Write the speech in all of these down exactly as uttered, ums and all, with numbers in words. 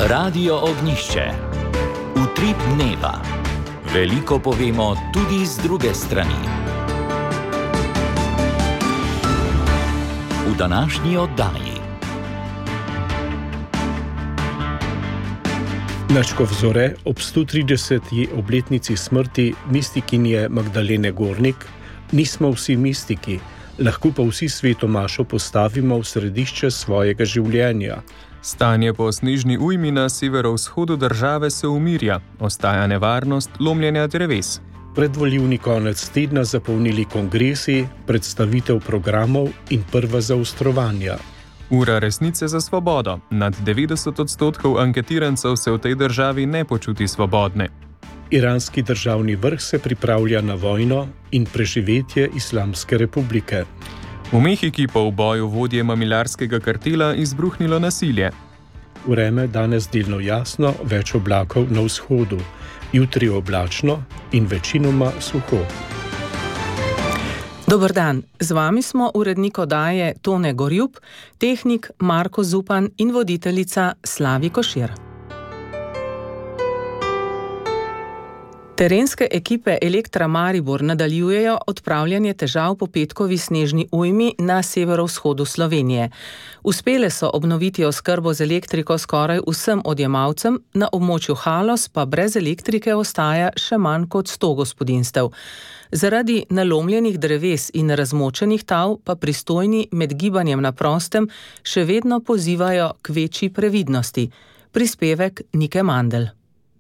Radio Ognjišče. Utrip dneva. Veliko povemo tudi z druge strani. V današnji oddaji. Nadškof Zore ob sto trideseti obletnici smrti mistikinje Magdalene Gornik nismo vsi mistiki, lahko pa vsi svetomašo postavimo v središče svojega življenja. Stanje po snežni ujmi na severovzhodu države se umirja, ostaja nevarnost lomljenja dreves. Predvolilni konec tedna zapolnili kongresi, predstavitev programov in prva zaostrovanja. Ura resnice za svobodo. Nad devetdeset odstotkov anketirancev se v tej državi ne počuti svobodne. Iranski državni vrh se pripravlja na vojno in preživetje Islamske republike. V Mehiki pa v boju vodje mamilarskega kartela izbruhnilo nasilje. Vreme danes delno jasno, več oblakov na vzhodu. Jutri oblačno in večinoma suho. Dober dan, z vami smo urednik oddaje Tone Gorjup, tehnik Marko Zupan in voditeljica Slavi Košir. Terenske ekipe Elektra Maribor nadaljujejo odpravljanje težav po petkovi snežni ujmi na severovzhodu Slovenije. Uspele so obnoviti oskrbo z elektriko skoraj vsem odjemalcem, na območju Haloz pa brez elektrike ostaja še manj kot sto gospodinjstev. Zaradi nalomljenih dreves in razmočenih tal pa pristojni med gibanjem na prostem še vedno pozivajo k večji previdnosti. Prispevek Nike Mandl.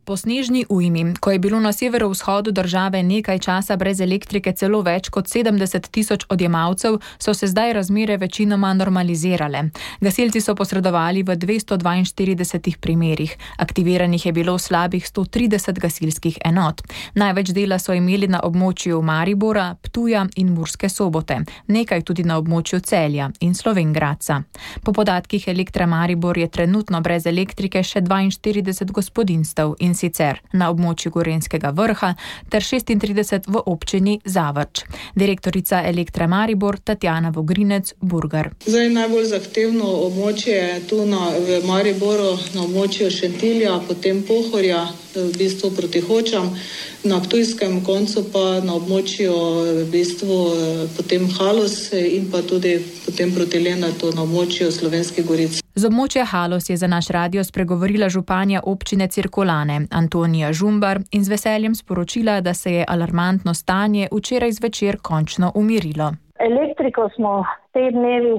Po snežni ujmi, ko je bilo na severovzhodu države nekaj časa brez elektrike celo več kot sedemdeset tisoč odjemalcev, so se zdaj razmere večinoma normalizirale. Gasilci so posredovali v dvesto dvainštiridesetih primerih. Aktiviranih je bilo slabih sto trideset gasilskih enot. Največ dela so imeli na območju Maribora, Ptuja in Murske Sobote. Nekaj tudi na območju Celja in Slovenj Gradca. Po podatkih Elektra Maribor je trenutno brez elektrike še dvainštirideset gospodinjstev in sicer na območju Gorenjskega vrha ter šestintrideset v občini Zavrč. Direktorica Elektra Maribor Tatjana Vogrinec Burgar. Zdaj najbolj zahtevno območje je tu na, v Mariboru, na območju Šentilja, potem Pohorja, v bistvu proti Hočam, na ptujskem koncu pa na območju v bistvu potem Haloz in pa tudi potem proti Lenartu na območju Slovenskih Goric. Z območja Haloz je za naš radio spregovorila županja občine Cirkulane Antonija Žumbar in z veseljem sporočila, da se je alarmantno stanje včeraj zvečer končno umirilo. Elektriko smo te dnevi,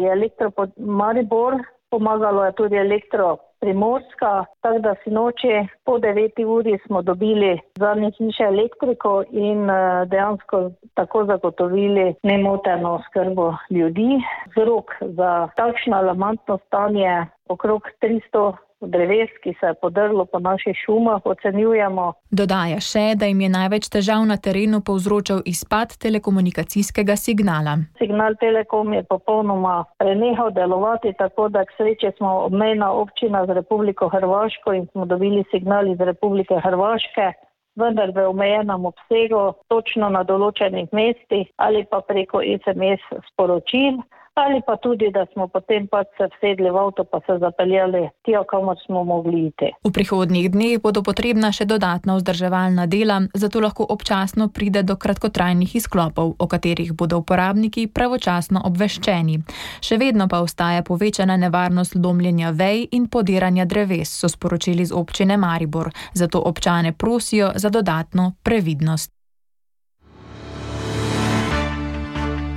je Elektro Maribor, pomagalo je tudi Elektro Primorska, tako da sinoči po deveti uri smo dobili zadnje hiše elektriko in dejansko tako zagotovili nemoteno oskrbo ljudi. Vzrok za takšno alarmantno stanje okrog tristo dreves, ki se je podrlo po naših šumah, ocenjujemo. Dodaja še, da jim je največ težav na terenu povzročal izpad telekomunikacijskega signala. Signal Telekom je popolnoma prenehal delovati, tako da k sreči smo obmejna občina z Republiko Hrvaško in smo dobili signal iz Republike Hrvaške, vendar v omejenem obsegu, točno na določenih mestih ali pa preko es em es sporočil. Ali pa tudi, da smo potem pač se vsedli v avto pa se zapeljali tja, kamor smo mogli iti. V prihodnjih dneh bodo potrebna še dodatna vzdrževalna dela, zato lahko občasno pride do kratkotrajnih izklopov, o katerih bodo uporabniki pravočasno obveščeni. Še vedno pa ostaja povečana nevarnost lomljenja vej in podiranja dreves, so sporočili z občine Maribor, zato občane prosijo za dodatno previdnost.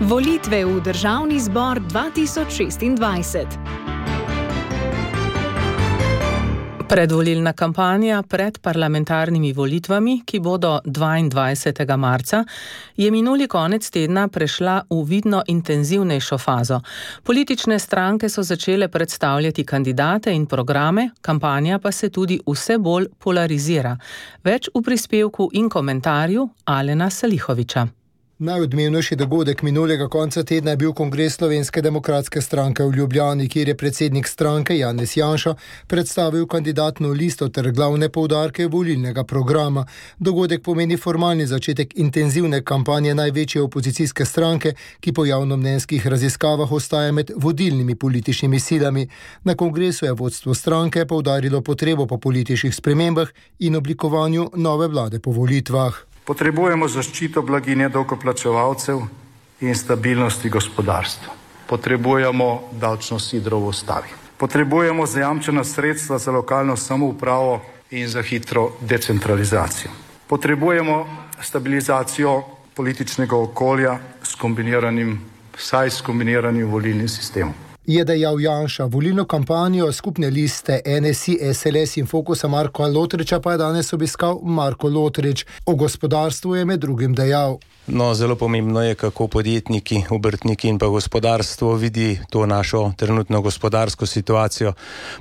Volitve v Državni zbor dva tisoč šestindvajset. Predvolilna kampanja pred parlamentarnimi volitvami, ki bodo dvaindvajsetega marca, je minuli konec tedna prešla v vidno intenzivnejšo fazo. Politične stranke so začele predstavljati kandidate in programe, kampanja pa se tudi vse bolj polarizira. Več v prispevku in komentarju Alena Salihoviča. Najodmevnejši dogodek minulega konca tedna je bil kongres Slovenske demokratske stranke v Ljubljani, kjer je predsednik stranke Janez Janša predstavil kandidatno listo ter glavne poudarke volilnega programa. Dogodek pomeni formalni začetek intenzivne kampanje največje opozicijske stranke, ki po javnomnenjskih raziskavah ostaja med vodilnimi političnimi silami. Na kongresu je vodstvo stranke poudarilo potrebo po političnih spremembah in oblikovanju nove vlade po volitvah. Potrebujemo zaščito blaginje davkoplačevalcev in stabilnosti gospodarstva. Potrebujemo davčno sidro v ustavi. Potrebujemo zajamčena sredstva za lokalno samoupravo in za hitro decentralizacijo. Potrebujemo stabilizacijo političnega okolja s kombiniranim, vsaj s kombiniranim volilnim sistemom. Je dejal Janša. Volilno kampanjo skupne liste N S I, S L S in Fokusa Marka Lotriča pa je danes obiskal Marko Lotrič. O gospodarstvu je med drugim dejal. No, zelo pomembno je, kako podjetniki, obrtniki in pa gospodarstvo vidi to našo trenutno gospodarsko situacijo.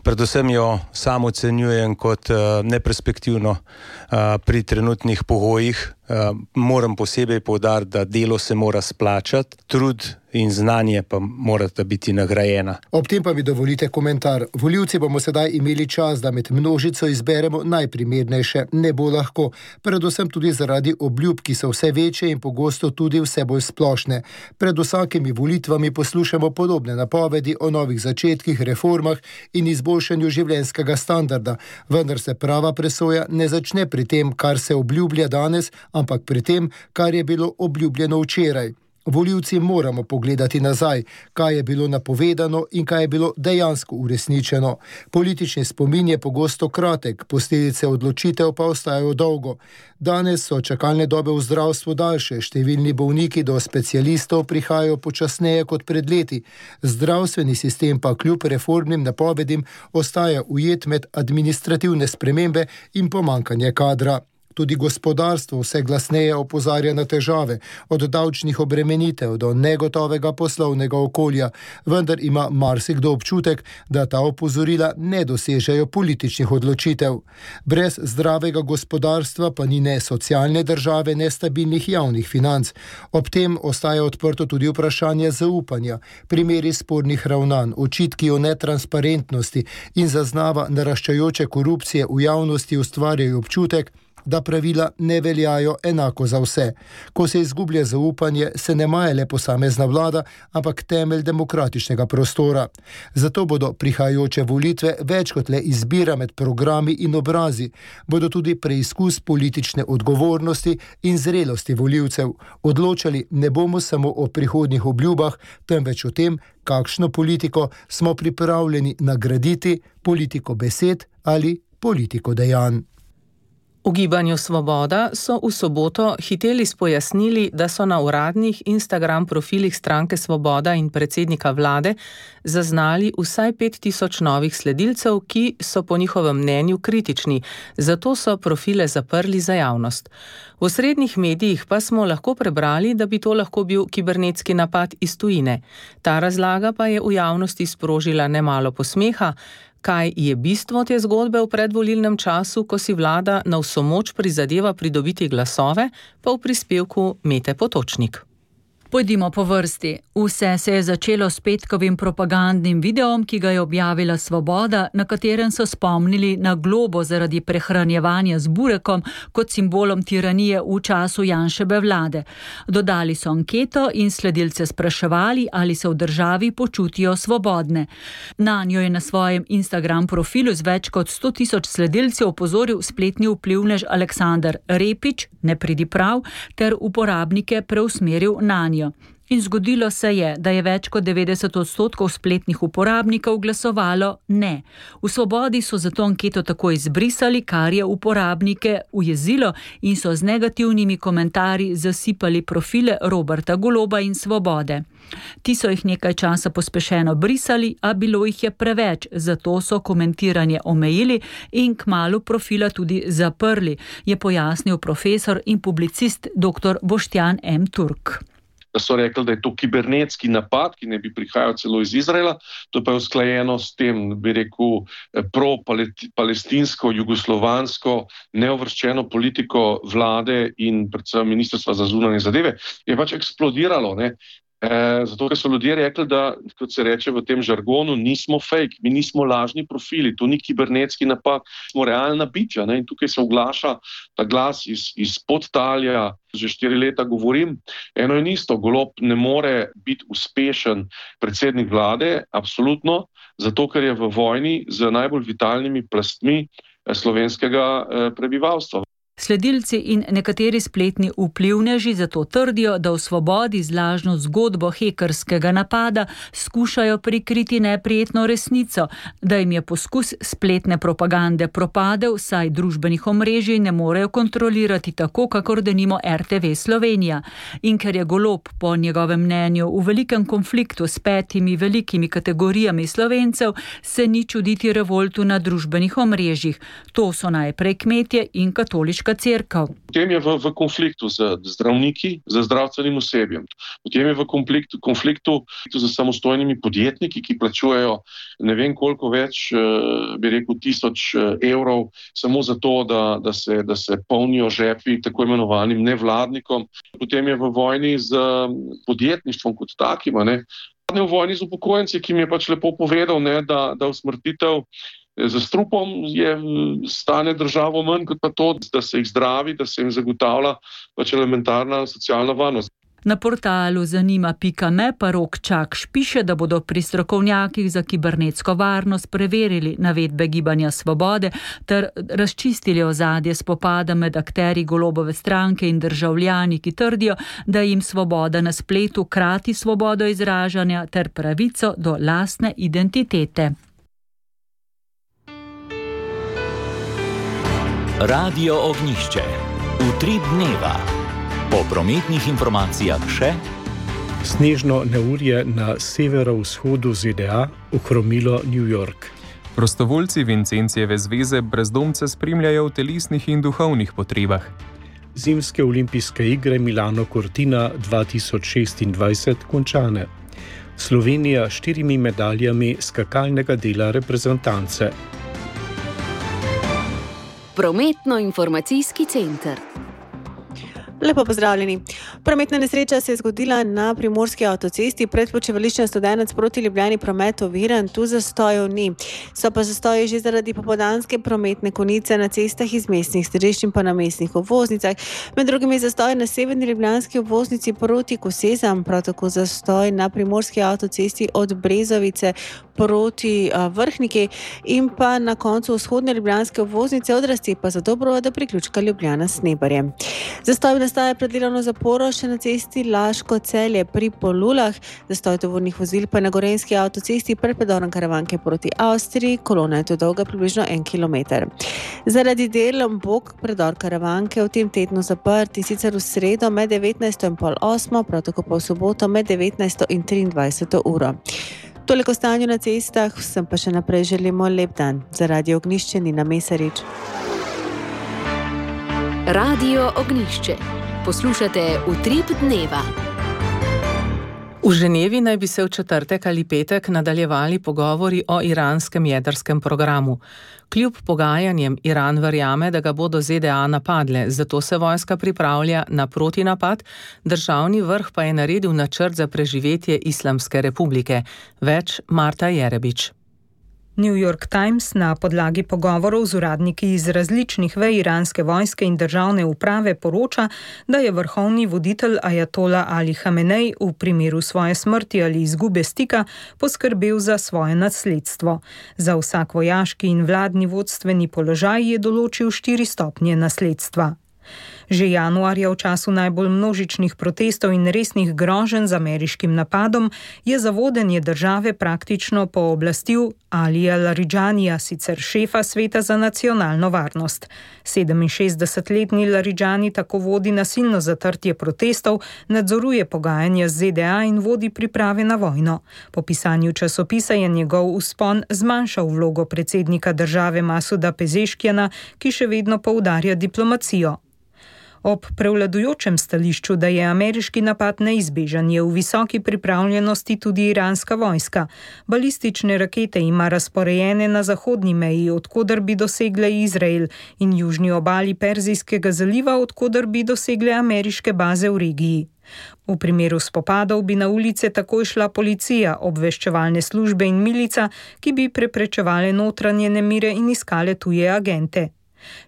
Predvsem jo sam ocenjujem kot uh, neperspektivno uh, pri trenutnih pogojih. Uh, moram posebej poudariti, da delo se mora splačati, trud in znanje pa morata biti nagrajena. Ob tem pa mi dovolite komentar. Volivci bomo sedaj imeli čas, da med množico izberemo najprimernejše. Ne bo lahko, predvsem tudi zaradi obljub, ki so vse večje in pogosto tudi vse bolj splošne. Pred vsakimi volitvami poslušamo podobne napovedi o novih začetkih, reformah in izboljšanju življenjskega standarda, vendar se prava presoja ne začne pri tem, kar se obljublja danes, ampak pri tem, kar je bilo obljubljeno včeraj. Volivci moramo pogledati nazaj, kaj je bilo napovedano in kaj je bilo dejansko uresničeno. Politični spomin je pogosto kratek, posledice odločitev pa ostajajo dolgo. Danes so čakalne dobe v zdravstvu daljše, številni bolniki do specialistov prihajajo počasneje kot pred leti. Zdravstveni sistem pa kljub reformnim napovedim ostaja ujet med administrativne spremembe in pomanjkanje kadra. Tudi gospodarstvo vse glasneje opozarja na težave, od davčnih obremenitev do negotovega poslovnega okolja, vendar ima marsikdo občutek, da ta opozorila ne dosežejo političnih odločitev. Brez zdravega gospodarstva pa ni ne socialne države, ne stabilnih javnih financ. Ob tem ostaja odprto tudi vprašanje zaupanja, primeri spornih ravnanj, očitki o netransparentnosti in zaznava naraščajoče korupcije v javnosti ustvarjajo občutek, da pravila ne veljajo enako za vse. Ko se izgublja zaupanje, se ne maje le posamezna vlada, ampak temelj demokratičnega prostora. Zato bodo prihajajoče volitve več kot le izbira med programi in obrazi, bodo tudi preizkus politične odgovornosti in zrelosti volivcev. Odločali ne bomo samo o prihodnjih obljubah, temveč o tem, kakšno politiko smo pripravljeni nagraditi, politiko besed ali politiko dejanj. V Gibanju Svoboda so v soboto hiteli spojasnili, da so na uradnih Instagram profilih stranke Svoboda in predsednika vlade zaznali vsaj pet tisoč novih sledilcev, ki so po njihovem mnenju kritični, zato so profile zaprli za javnost. V osrednjih medijih pa smo lahko prebrali, da bi to lahko bil kibernetski napad iz tujine. Ta razlaga pa je v javnosti sprožila nemalo posmeha. Kaj je bistvo te zgodbe v predvolilnem času, ko si vlada na vso moč prizadeva pridobiti glasove, pa v prispevku Mete Potočnik. Pojdimo po vrsti. Vse se je začelo s petkovim propagandnim videom, ki ga je objavila Svoboda, na katerem so spomnili na globo zaradi prehranjevanja z burekom kot simbolom tiranije v času Janševe vlade. Dodali so anketo in sledilce spraševali, ali se v državi počutijo svobodne. Nanjo je na svojem Instagram profilu z več kot sto tisoč sledilcev opozoril spletni vplivnež Aleksander Repič, ne pridi prav, ter uporabnike preusmeril nanjo. In zgodilo se je, da je več kot devetdeset odstotkov spletnih uporabnikov glasovalo ne. V Svobodi so zato anketo tako izbrisali, kar je uporabnike ujezilo in so z negativnimi komentarji zasipali profile Roberta Goloba in Svobode. Ti so jih nekaj časa pospešeno brisali, a bilo jih je preveč, zato so komentiranje omejili in kmalu profila tudi zaprli, je pojasnil profesor in publicist dr. Boštjan M. Turk. da so rekli, da je to kibernetski napad, ki ne bi prihajal celo iz Izraela. To pa je usklajeno s tem, bi rekel, pro-palestinsko, jugoslovansko, neovrščeno politiko vlade in predvsem ministrstva za zunanje zadeve. Je pač eksplodiralo, ne? E, zato, ker so ljudje rekli, da, kot se reče v tem žargonu, nismo fake, mi nismo lažni profili, to ni kibernetski napad, smo realna biča, ne? In tukaj se oglaša ta glas iz, iz podtalja, že štiri leta govorim, eno in isto, Golob ne more biti uspešen predsednik vlade, absolutno, zato, ker je v vojni z najbolj vitalnimi plastmi slovenskega prebivalstva. Sledilci in nekateri spletni vplivneži zato trdijo, da v Svobodi z lažno zgodbo hekerskega napada skušajo prikriti neprijetno resnico, da jim je poskus spletne propagande propadel, saj družbenih omrežij ne morejo kontrolirati tako, kakor denimo R T V Slovenija. In ker je Golob po njegovem mnenju v velikem konfliktu s petimi velikimi kategorijami Slovencev, se ni čuditi revoltu na družbenih omrežjih. To so najprej kmetje in katoliška cerkev. Potem je v, v konfliktu z zdravniki, z zdravstvenim osebjem. Potem je v konfliktu, konfliktu z samostojnimi podjetniki, ki plačujejo ne vem koliko več, bi rekel, tisoč evrov samo zato, da, da, se, da se polnijo žepi tako imenovanim nevladnikom. Potem je v vojni z podjetništvom kot takim, ne. V vojni z upokojenci, ki mi je pač lepo povedal, ne, da, da usmrtitev za strupom je stane državo manj kot pa to, da se jih zdravi, da se jim zagotavlja pač elementarna socialna varnost. Na portalu zanima pika me pa Rok Čakš piše, da bodo pri strokovnjakih za kibernetsko varnost preverili navedbe Gibanja Svobode ter razčistili ozadje spopada med akterji Golobove stranke in državljani, ki trdijo, da jim Svoboda na spletu krati svobodo izražanja ter pravico do lastne identitete. Radio Ognjišče. Utrip dneva. Po prometnih informacijah še snežno neurje na severovzhodu Z D A ohromilo New York. Prostovoljci Vincencijeve zveze brezdomce spremljajo v telesnih in duhovnih potrebah. Zimske olimpijske igre Milano Cortina dva tisoč šestindvajset končane. Slovenija s štirimi medaljami skakalnega dela reprezentance. Prometno-informacijski center. Lepo pozdravljeni. Prometna nesreča se je zgodila na primorski avtocesti pred počivališčem Studenec proti Ljubljani, promet oviran, tu zastojev ni. So pa zastoji že zaradi popoldanske prometne konice na cestah iz mestnih središč in pa na mestnih obvoznicah. Med drugim je zastoj na severni ljubljanski obvoznici proti Kosezam, prav tako zastoj na primorski avtocesti od Brezovice proti uh, Vrhniki in pa na koncu vzhodne ljubljanske obvoznice od razcepa za Dobrovo do priključka Ljubljana s Snebarjem. Zastoj nastaja pred delovno zaporo še na cesti Laško-Celje pri Polulah, zastoj tovornih vozil pa na gorenjski avtocesti pred predorom Karavanke proti Avstriji, kolona je to dolga približno en kilometer. Zaradi del bo predor Karavanke v tem tednu zaprt in sicer v sredo med devetnajsto in pol osmo, prav tako pa v soboto med devetnajsto in triindvajseto uro. Toliko stanju na cestah, vsem pa še naprej želimo lep dan. Za Radio Ognjišče Nina Mesarič. Radio Ognjišče. Poslušate Utrip dneva. V Ženevi naj bi se v četrtek ali petek nadaljevali pogovori o iranskem jedrskem programu. Kljub pogajanjem Iran verjame, da ga bodo Z D A napadle, zato se vojska pripravlja na protinapad, državni vrh pa je naredil načrt za preživetje Islamske republike. Več Marta Jerebič. New York Times na podlagi pogovorov z uradniki iz različnih vej iranske vojske in državne uprave poroča, da je vrhovni voditelj ajatola Ali Hamenej v primeru svoje smrti ali izgube stika poskrbel za svoje nasledstvo. Za vsak vojaški in vladni vodstveni položaj je določil štiri stopnje nasledstva. Že januarja v času najbolj množičnih protestov in resnih groženj z ameriškim napadom je za vodenje države praktično pooblastil Alija Laridžanija, sicer šefa Sveta za nacionalno varnost. sedeminšestdesetletni Laridžani tako vodi nasilno zatrtje protestov, nadzoruje pogajanja z Z D A in vodi priprave na vojno. Po pisanju časopisa je njegov vzpon zmanjšal vlogo predsednika države Masuda Pezeškjana, ki še vedno poudarja diplomacijo. Ob prevladujočem stališču, da je ameriški napad neizbežen, je v visoki pripravljenosti tudi iranska vojska. Balistične rakete ima razporejene na zahodni meji, odkoder bi dosegle Izrael, in južni obali Perzijskega zaliva, odkoder bi dosegle ameriške baze v regiji. V primeru spopadov bi na ulice takoj šla policija, obveščevalne službe in milica, ki bi preprečevale notranje nemire in iskale tuje agente.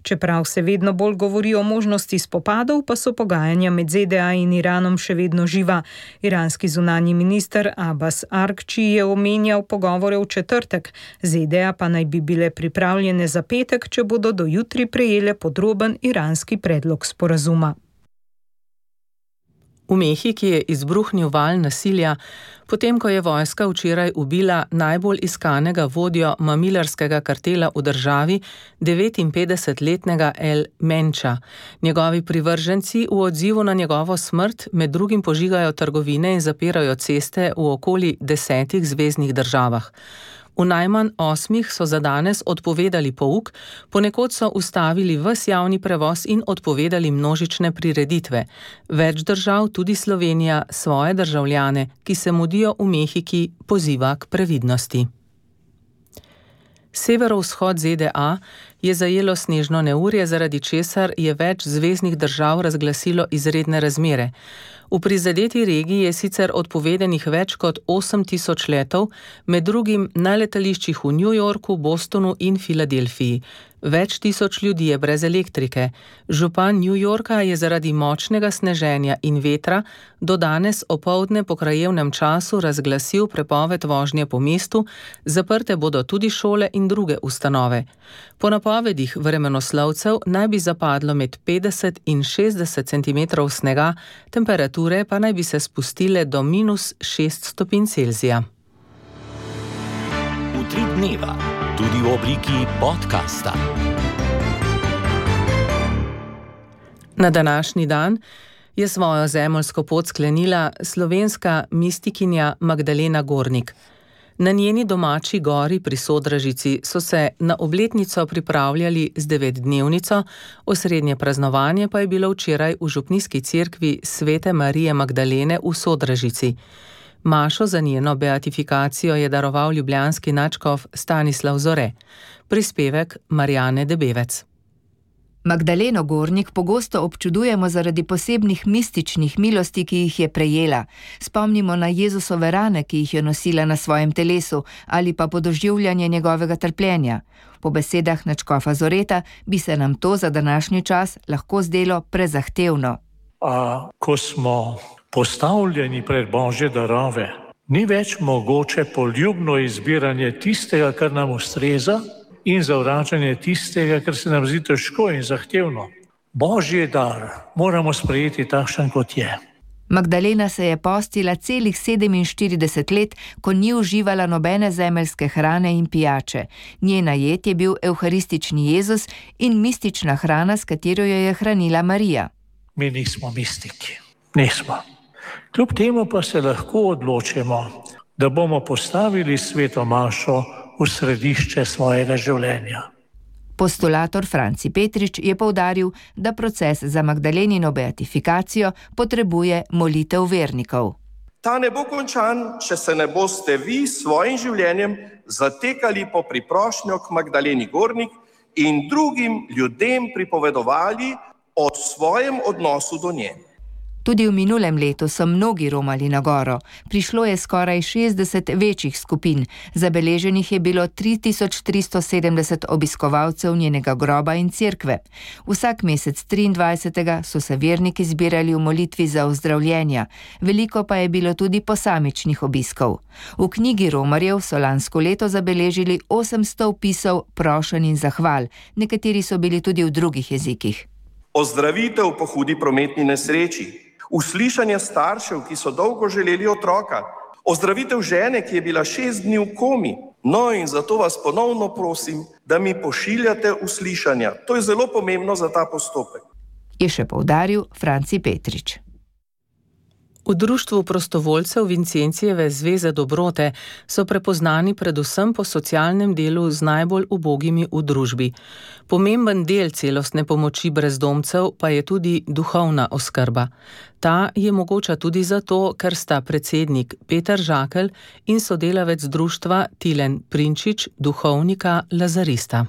Čeprav se vedno bolj govori o možnosti spopadov, pa so pogajanja med Z D A in Iranom še vedno živa. Iranski zunanji minister Abbas Argči je omenjal pogovore v četrtek, Z D A pa naj bi bile pripravljene za petek, če bodo do jutri prejele podroben iranski predlog sporazuma. V Mehiki je izbruhnil val nasilja, potem ko je vojska včeraj ubila najbolj iskanega vodjo mamilarskega kartela v državi, devetinpetdesetletnega El Mencha. Njegovi privrženci v odzivu na njegovo smrt med drugim požigajo trgovine in zapirajo ceste v okoli desetih zveznih državah. V najmanj osmih so za danes odpovedali pouk, ponekod so ustavili ves javni prevoz in odpovedali množične prireditve. Več držav, tudi Slovenija, svoje državljane, ki se mudijo v Mehiki, poziva k previdnosti. Severovzhod Z D A je zajelo snežno neurje, zaradi česar je več zveznih držav razglasilo izredne razmere. V prizadeti regiji je sicer odpovedanih več kot osem tisoč letov, med drugim na letališčih v New Yorku, Bostonu in Filadelfiji. Več tisoč ljudi je brez elektrike. Župan New Yorka je zaradi močnega sneženja in vetra do danes opoldne po krajevnem času razglasil prepoved vožnje po mestu, zaprte bodo tudi šole in druge ustanove. Po napovedih vremenoslovcev naj bi zapadlo med petdeset in šestdeset centimetrov snega, temperature pa naj bi se spustile do minus šest stopinj Celzija. Utrip dneva, tudi v obliki podcasta. Na današnji dan je svojo zemeljsko pot sklenila slovenska mistikinja Magdalena Gornik. Na njeni domači gori pri Sodražici so se na obletnico pripravljali z devetdnevnico, osrednje praznovanje pa je bilo včeraj v župnijski cerkvi Svete Marije Magdalene v Sodražici. Mašo za njeno beatifikacijo je daroval ljubljanski nadškof Stanislav Zore. Prispevek Marjane Debevec. Magdaleno Gornik pogosto občudujemo zaradi posebnih mističnih milosti, ki jih je prejela. Spomnimo na Jezusove rane, ki jih je nosila na svojem telesu, ali pa podoživljanje njegovega trpljenja. Po besedah nadškofa Zoreta bi se nam to za današnji čas lahko zdelo prezahtevno. A ko smo postavljeni pred Božje darove, ni več mogoče poljubno izbiranje tistega, kar nam ustreza, in zavračanje tistega, kar se nam zdi težko in zahtevno. Božji dar moramo sprejeti takšen, kot je. Magdalena se je postila celih sedeminštirideset let, ko ni uživala nobene zemeljske hrane in pijače. Njena jed je bil evharistični Jezus in mistična hrana, s katero jo je hranila Marija. Mi nismo mistiki. Nismo. Kljub temu pa se lahko odločimo, da bomo postavili sveto mašo v središče svojega življenja. Postulator Franci Petrič je poudaril, da proces za Magdalenino beatifikacijo potrebuje molitev vernikov. Ta ne bo končan, če se ne boste vi s svojim življenjem zatekali po priprošnjo k Magdaleni Gornik in drugim ljudem pripovedovali o svojem odnosu do nje. Tudi v minulem letu so mnogi romali na goro. Prišlo je skoraj šestdeset večjih skupin. Zabeleženih je bilo tri tisoč tristo sedemdeset obiskovalcev njenega groba in cerkve. Vsak mesec triindvajsetega so se verniki zbirali v molitvi za ozdravljenja. Veliko pa je bilo tudi posamičnih obiskov. V knjigi romarjev so lansko leto zabeležili osemsto vpisov prošenj in zahval. Nekateri so bili tudi v drugih jezikih. Ozdravitev po hudi prometni nesreči. Uslišanje staršev, ki so dolgo želeli otroka, ozdravitev žene, ki je bila šest dni v komi. No in zato vas ponovno prosim, da mi pošiljate uslišanja. To je zelo pomembno za ta postopek. Je še poudaril Franci Petrič. V društvu prostovoljcev Vincencijeve zveze dobrote so prepoznani predvsem po socialnem delu z najbolj ubogimi v družbi. Pomemben del celostne pomoči brezdomcev pa je tudi duhovna oskrba. Ta je mogoča tudi zato, ker sta predsednik Peter Žakelj in sodelavec društva Tilen Prinčič, duhovnika lazarista.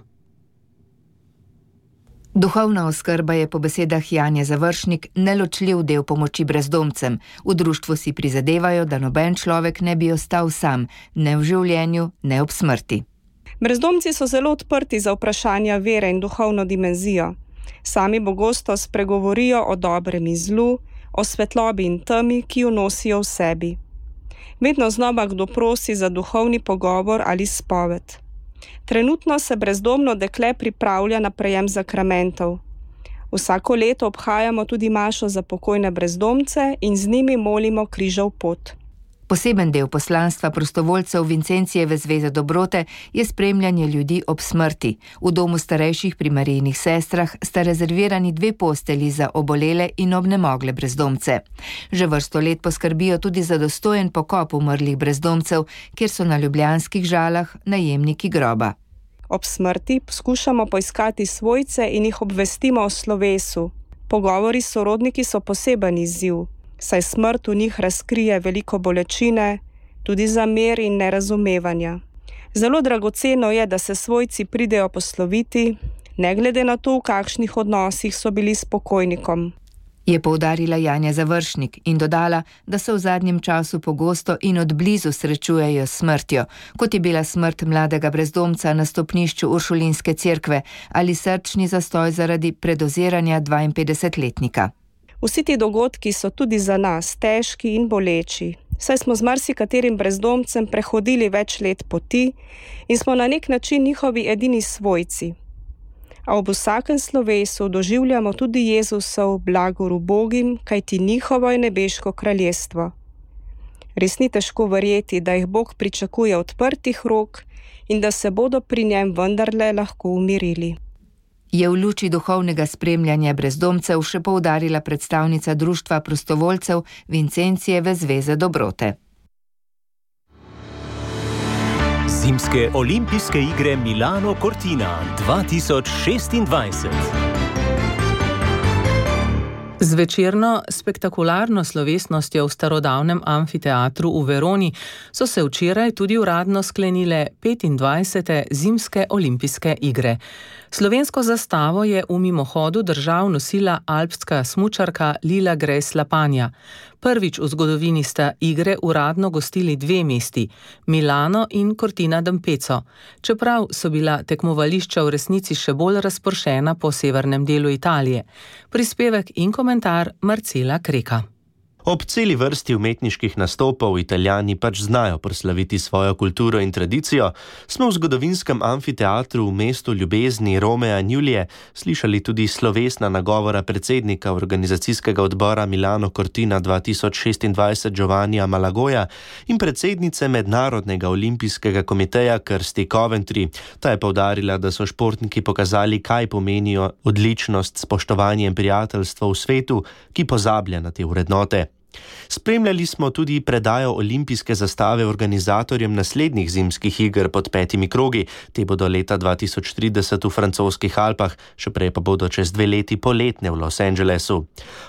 Duhovna oskrba je po besedah Janje Završnik neločljiv del pomoči brezdomcem. V društvu si prizadevajo, da noben človek ne bi ostal sam, ne v življenju, ne ob smrti. Brezdomci so zelo odprti za vprašanja vere in duhovno dimenzijo. Sami pogosto spregovorijo o dobrem in zlu, o svetlobi in temi, ki jo nosijo v sebi. Vedno znova kdo prosi za duhovni pogovor ali spoved. Trenutno se brezdomno dekle pripravlja na prejem zakramentov. Vsako leto obhajamo tudi mašo za pokojne brezdomce in z njimi molimo križev pot. Poseben del poslanstva prostovoljcev Vincencijeve zveze dobrote je spremljanje ljudi ob smrti. V domu starejših pri Marijinih sestrah sta rezervirani dve postelji za obolele in obnemogle brezdomce. Že vrsto let poskrbijo tudi za dostojen pokop umrlih brezdomcev, kjer so na ljubljanskih Žalah najemniki groba. Ob smrti poskušamo poiskati svojce in jih obvestimo o slovesu. Pogovori s sorodniki so poseben izziv, saj smrt v njih razkrije veliko bolečine, tudi zamer in nerazumevanja. Zelo dragoceno je, da se svojci pridejo posloviti, ne glede na to, v kakšnih odnosih so bili s pokojnikom. Je poudarila Janja Završnik in dodala, da se v zadnjem času pogosto in od blizu srečujejo s smrtjo, kot je bila smrt mladega brezdomca na stopnišču Uršulinske cerkve ali srčni zastoj zaradi predoziranja dvainpetdesetletnika. Vsi ti dogodki so tudi za nas težki in boleči, saj smo z marsikaterim brezdomcem prehodili več let poti in smo na nek način njihovi edini svojci. A ob vsakem slovesu doživljamo tudi Jezusov blagor ubogim, kajti njihovo je nebeško kraljestvo. Res ni težko verjeti, da jih Bog pričakuje odprtih rok in da se bodo pri njem vendarle lahko umirili. Je v luči duhovnega spremljanja brezdomcev še poudarila predstavnica društva prostovoljcev Vincencijeve zveze dobrote. Zimske olimpijske igre Milano Cortina dva tisoč šestindvajset. Z večerno spektakularno slovesnostjo v starodavnem amfiteatru v Veroni so se včeraj tudi uradno sklenile petindvajsete zimske olimpijske igre. Slovensko zastavo je v mimohodu držav nosila alpska smučarka Lila Grejs Lapanja. Prvič v zgodovini sta igre uradno gostili dve mesti, Milano in Cortina d'Ampezzo, čeprav so bila tekmovališča v resnici še bolj razpršena po severnem delu Italije. Prispevek in komentar Marcela Kreka. Ob celi vrsti umetniških nastopov Italijani pač znajo proslaviti svojo kulturo in tradicijo, smo v zgodovinskem amfiteatru v mestu ljubezni Romea in Julije slišali tudi slovesna nagovora predsednika organizacijskega odbora Milano Cortina dva tisoč šestindvajset Giovannija Malagoja in predsednice Mednarodnega olimpijskega komiteja Kirsti Coventry. Ta je poudarila, da so športniki pokazali, kaj pomenijo odličnost, spoštovanje in prijateljstvo v svetu, ki pozablja na te vrednote. Spremljali smo tudi predajo olimpijske zastave organizatorjem naslednjih zimskih iger pod petimi krogi. Te bodo leta dva tisoč trideset v francoskih Alpah, še prej pa bodo čez dve leti poletne v Los Angelesu.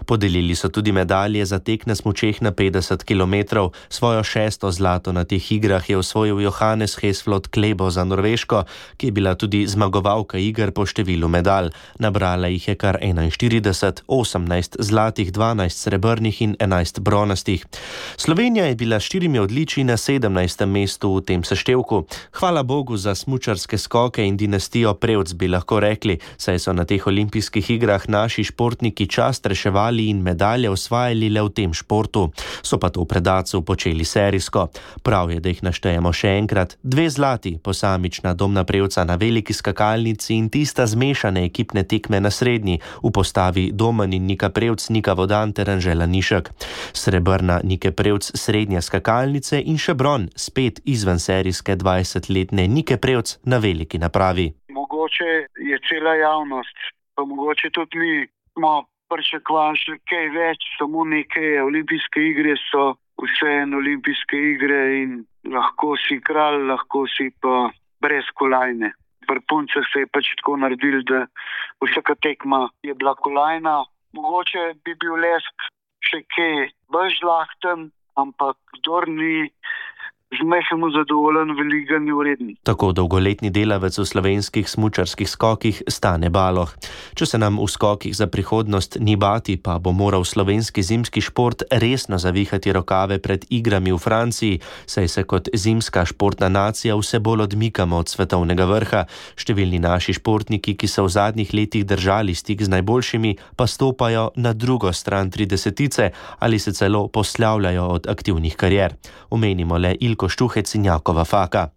Podelili so tudi medalje za tek na smučeh na petdeset kilometrov. Svojo šesto zlato na teh igrah je osvojil Johannes Hesflot Klebo za Norveško, ki je bila tudi zmagovalka iger po številu medalj. Nabrala jih je kar enainštirideset, osemnajst zlatih, dvanajst srebrnih in enajst bronastih. Slovenija je bila s štirimi odličji na sedemnajstem mestu v tem seštevku. Hvala Bogu za smučarske skoke in dinastijo Prevc, bi lahko rekli, saj so na teh olimpijskih igrah naši športniki čast reševali in medalje osvajali le v tem športu. So pa to v predacu počeli serijsko. Prav je, da jih naštejemo še enkrat. Dve zlati, posamična domna Prevca na veliki skakalnici in tista zmešane ekipne tekme na srednji v postavi Domen in Nika Prevc, Nika Vodan ter Anžela Nišek. Srebrna Nike Prevc srednje skakalnice in še bron spet izven serijske dvajsetletne Nike Prevc na veliki napravi. Mogoče je cela javnost, pa mogoče tudi mi smo pričakovali še kaj več, samo neke olimpijske igre so vseeno olimpijske igre in lahko si kralj, lahko si pa brez kolajne. Pri puncah se je pač tako naredil, da vsaka tekma je bila kolajna. Mogoče bi bil lesk še kaj bolj žlahten, ampak kdor ni zmehamo zadovoljen, veliko ni vreden. Tako dolgoletni delavec v slovenskih smučarskih skokih Stane Baloh. Če se nam v skokih za prihodnost ni bati, pa bo moral slovenski zimski šport resno zavihati rokave pred igrami v Franciji, saj se kot zimska športna nacija vse bolj odmikamo od svetovnega vrha. Številni naši športniki, ki so v zadnjih letih držali stik z najboljšimi, pa stopajo na drugo stran tridesetice ali se celo poslavljajo od aktivnih karier. Omenimo le Ilko Štuhec in Jakova Faka.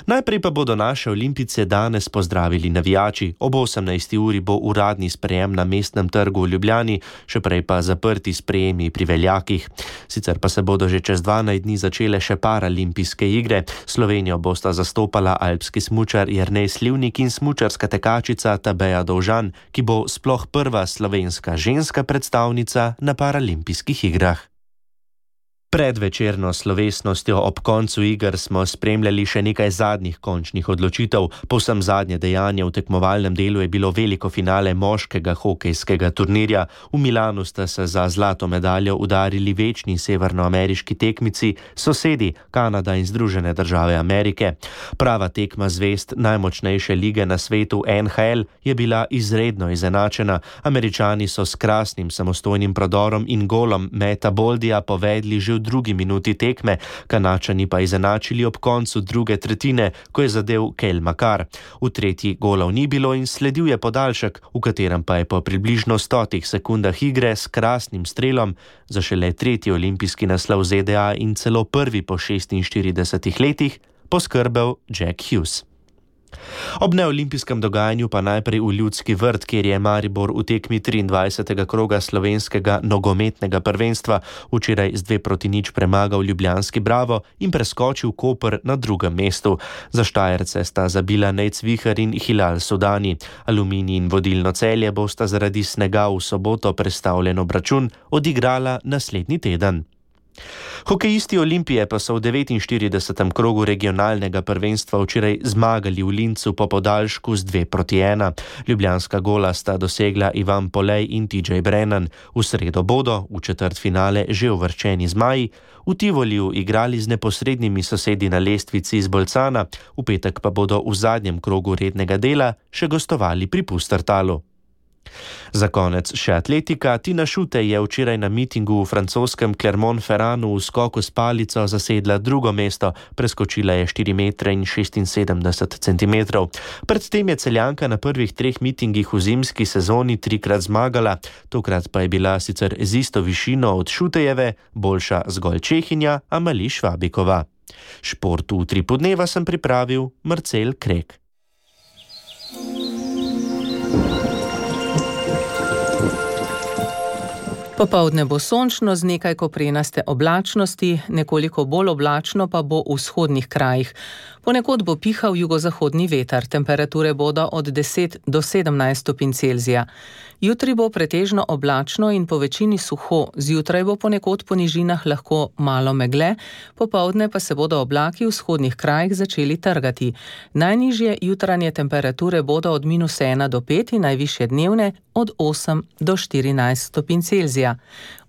Najprej pa bodo naše olimpijce danes pozdravili navijači. Ob osemnajsti uri bo uradni sprejem na Mestnem trgu v Ljubljani, še prej pa zaprti sprejemi pri veljakih. Sicer pa se bodo že čez dvanajst dni začele še paralimpijske igre. Slovenijo bosta zastopala alpski smučar Jernej Slivnik in smučarska tekačica Tabeja Dovžan, ki bo sploh prva slovenska ženska predstavnica na paralimpijskih igrah. Pred večerno slovesnostjo ob koncu iger smo spremljali še nekaj zadnjih končnih odločitev. Povsem zadnje dejanje v tekmovalnem delu je bilo veliko finale moškega hokejskega turnirja. V Milanu sta se za zlato medaljo udarili večni severnoameriški tekmici, sosedi Kanada in Združene države Amerike. Prava tekma zvezd najmočnejše lige na svetu N H L je bila izredno izenačena. Američani so s krasnim samostojnim prodorom in golom Meta Boldija povedli že v drugi minuti tekme, Kanačani pa izenačili ob koncu druge tretjine, ko je zadel Cale Makar. V tretji golov ni bilo in sledil je podaljšek, v katerem pa je po približno stotih sekundah igre s krasnim strelom za šele tretji olimpijski naslov Z D A in celo prvi po šestinštiridesetih letih poskrbel Jack Hughes. Ob neolimpijskem dogajanju pa najprej v Ljudski vrt, kjer je Maribor v tekmi triindvajsetega kroga slovenskega nogometnega prvenstva včeraj z dve proti nič premagal ljubljanski Bravo in preskočil Koper na drugem mestu. Za Štajerce sta zabila Nejc Vihar in Hilal Sudani. Aluminij in vodilno Celje bosta zaradi snega v soboto prestavljen obračun odigrala naslednji teden. Hokejisti Olimpije pa so v devetinštiridesetem krogu regionalnega prvenstva včeraj zmagali v Lincu po podaljšku z dve proti ena. Ljubljanska gola sta dosegla Ivan Polej in T J Brennan. V sredo bodo v četrtfinale že uvrščeni zmaji v Tivoliju igrali z neposrednimi sosedi na lestvici iz Bolcana, v petek pa bodo v zadnjem krogu rednega dela še gostovali pri Pustertalu. Za konec še atletika. Tina Šute je včeraj na mitingu v francoskem Clermont-Ferranu v skoku s palico zasedla drugo mesto, preskočila je štiri metre in šestinsedemdeset centimetrov. Predtem je Celjanka na prvih treh mitingih v zimski sezoni trikrat zmagala, tokrat pa je bila sicer z isto višino od Šutejeve, boljša zgolj Čehinja Amali Švabikova. Šport v Utripu dneva sem pripravil Marcel Krek. Popoldne bo sončno z nekaj koprenaste oblačnosti, nekoliko bolj oblačno pa bo v vzhodnih krajih. Ponekod bo pihal jugozahodni veter, temperature bodo od deset do sedemnajst stopinj Celzija. Jutri bo pretežno oblačno in po večini suho, zjutraj bo ponekod po nižinah lahko malo megle, popoldne pa se bodo oblaki v vzhodnih krajih začeli trgati. Najnižje jutranje temperature bodo od minus ena do pet in najvišje dnevne od osem do štirinajst stopinj Celzija.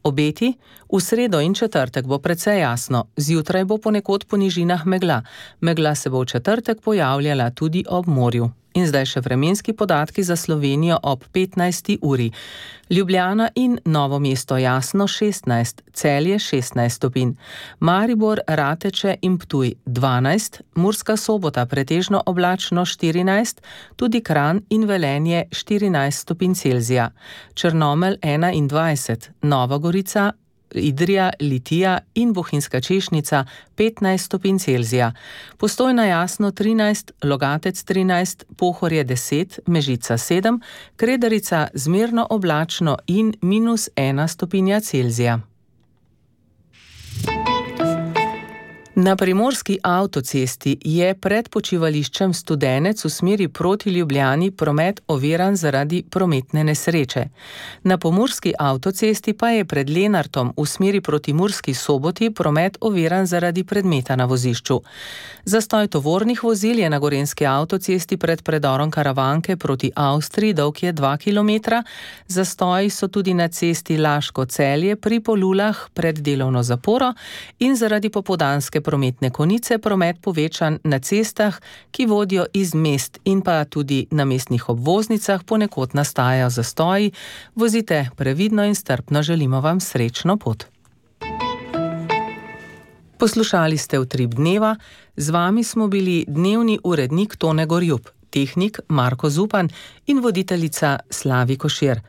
Obeti: v sredo in četrtek bo precej jasno, zjutraj bo ponekod po nižinah megla. Megla se bo v četrtek pojavljala tudi ob morju. In zdaj še vremenski podatki za Slovenijo ob petnajsti uri. Ljubljana in Novo mesto jasno šestnajst, Celje šestnajst stopinj, Maribor, Rateče in Ptuj dvanajst, Murska Sobota pretežno oblačno štirinajst, tudi Kranj in Velenje štirinajst stopinj Celzija, Črnomelj enaindvajset, Nova Gorica, Idrija, Litija in Bohinjska Češnica petnajst stopinj Celzija, Postojna jasno trinajst, Logatec trinajst, Pohorje deset, Mežica sedem, Kredarica zmerno oblačno in minus ena stopinja Celzija. Na primorski avtocesti je pred počivališčem Studenec v smeri proti Ljubljani promet oviran zaradi prometne nesreče. Na pomurski avtocesti pa je pred Lenartom v smeri proti Murski Soboti promet oviran zaradi predmeta na vozišču. Zastoj tovornih vozil je na gorenjski avtocesti pred predorom Karavanke proti Avstriji, dolg je dva kilometra. Zastoji so tudi na cesti Laško-Celje pri Polulah pred delovno zaporo in zaradi popoldanske prometne konice promet povečan na cestah, ki vodijo iz mest in pa tudi na mestnih obvoznicah ponekod nastajajo zastoji. Vozite previdno in strpno, želimo vam srečno pot. Poslušali ste Utrip dneva, z vami smo bili dnevni urednik Tone Gorjup, tehnik Marko Zupan in voditeljica Slavi Košir.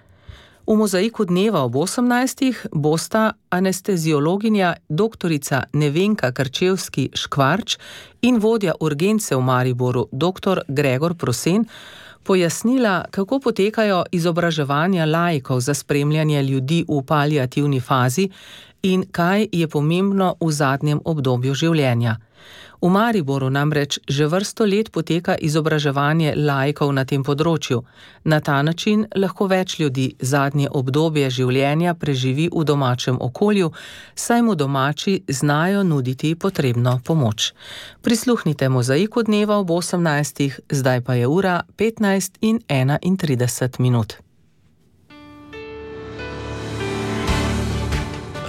V mozaiku dneva ob osemnajstih bosta anesteziologinja doktorica Nevenka Krčevski-Škvarč in vodja urgence v Mariboru doktor Gregor Prosen pojasnila, kako potekajo izobraževanja laikov za spremljanje ljudi v paliativni fazi in kaj je pomembno v zadnjem obdobju življenja. V Mariboru namreč že vrsto let poteka izobraževanje laikov na tem področju. Na ta način lahko več ljudi zadnje obdobje življenja preživi v domačem okolju, saj mu domači znajo nuditi potrebno pomoč. Prisluhnite mozaiku dneva ob osemnajstih, zdaj pa je ura petnajst in enaintrideset minut.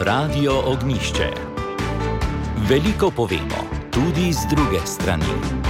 Radio Ognjišče. Veliko povemo, tudi z druge strani.